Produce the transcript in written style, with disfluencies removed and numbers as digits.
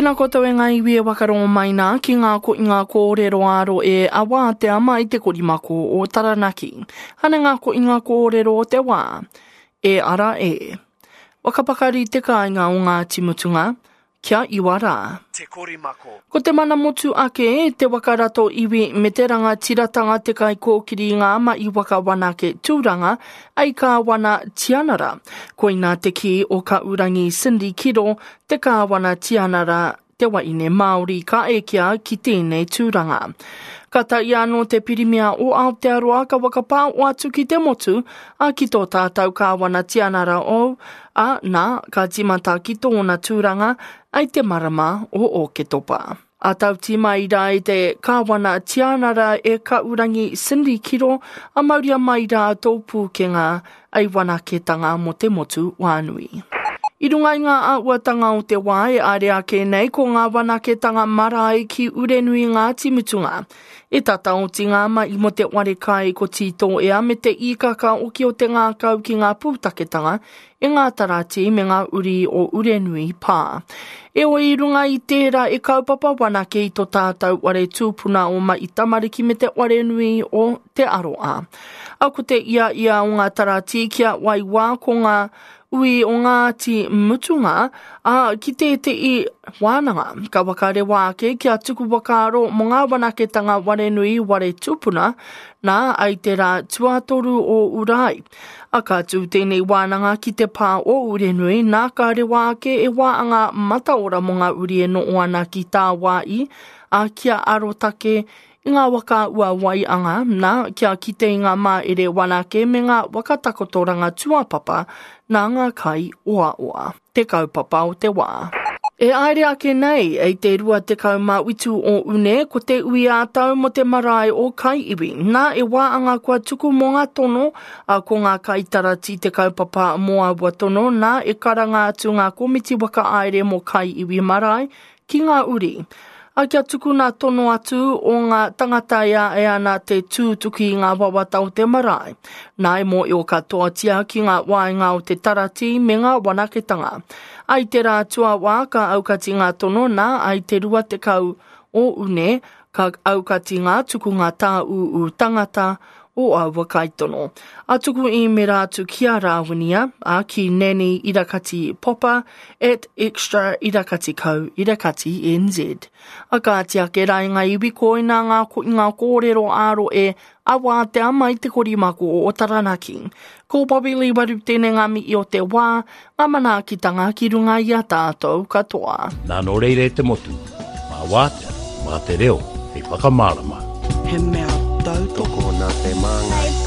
Tēnā koutou e ngā iwi e wakarongo mai nā ki ngā ko i ngā kōrero āro e a wātea mai te korimako o Taranaki. Hane ngā ko i ngā kōrero o te wā. E ara e. Whakapakari te kāinga o Ngāti Mutunga, kia iwa rā. Te Korimako. Ko te mana motu ake, te waka rato iwi me te rangatiratanga te kaikōkiri i ngā mahi waka wanake tūranga ei Kāwana Tianara. Koinā te kī o Kaurangi Cindy Kiro, te Kāwana Tianara, te wahine Māori ka ekea ki tēnei tūranga. Ka taia anō te Pirimia o Aotearoa ka whakapāo atu ki te motu, ā, ki tō tātou Kāwana Tianara ou, ā, nā, ka tīmata ki tōna tūranga i te marama o Ōketopa. A tauti mai rā i te Kāwana Tianara e Kaurangi Cindy Kiro, a mauria mai rā tō pūkenga Ei wanaketanga mō te motu whānui. I runga i ngā āhuatanga o te wā e āre ake nei ko ngā wanaketanga marae ki Urenui Ngāti Mutunga. E tata oti ngā mahi mō te ware kai ko Tītōea me te īkaka oki o te ngākau ki ngā pūtaketanga e ngā tarati me ngā uri o Urenui Pā. Eoi i runga i tērā e kaupapa wanake i to tātou ware tūpuna o Mahi Tamariki me te ware nui o Te Aroa. A ko te ia ia o ngā taratī kia wai wā ko ngā ui o Ngāti Mutunga, ā, ki tētehi wānanga. Ka whakarewa ake kia tuku whakaaro mō ngā wanaketanga warenui ware tupuna, nā, ai te rā tuatoru o Urai. A ka tū tēnei wānanga ki te pā o Urenui, nā ka rewa ake e wā anga mataora mō ngā uri e noho ana ki tāwāi, ā, kia arotake I ngā waka ua waianga, nā, kia kite i ngā māere wanake me ngā waka takotoranga tuapapa nā ngā kai oaoa. Te kaupapa o te wā. E aere ake nei, i te 27 o Une, ko te ui ā-tau mō te marae o Kaiiwi. Nā, e wā anga kua tuku mō ngā tono, ā, ko ngā kaitarati te kaupapa mō aua tono, nā, e karanga atu ngā komiti whakaāere mō Kaiiwi Marae Ki ngā uri. A kia tukuna tono atu o ngā tangata e āe ana te tūtuki i ngā wawata o te marae. Nā e mōio katoatia ki ngā waenga o te taratī me ngā wanaketanga. A i te rā tuawā ka aukati ngā tono nā a i te 20 o Une ka aukati ngā tukunga tāūū tangata o aua kaitono. A tuku īmera atu ki a Rāwinia, a ki Nanny Irakati Popper at extra irakati co irakati nz. A kāti ake rā i ngā iwi koina ngā, ngā kōrero ā-roe a wātea mai te korimako o Taranaki. Ko Bobby Lee Waru tēnei ngā mihi o te wā, ngā manaakitanga ki runga i a tātou katoa. Nā nō reira e te motu, mā wātea, mā te reo hei whakamārama. He mea tautoko. Tokona te māngai.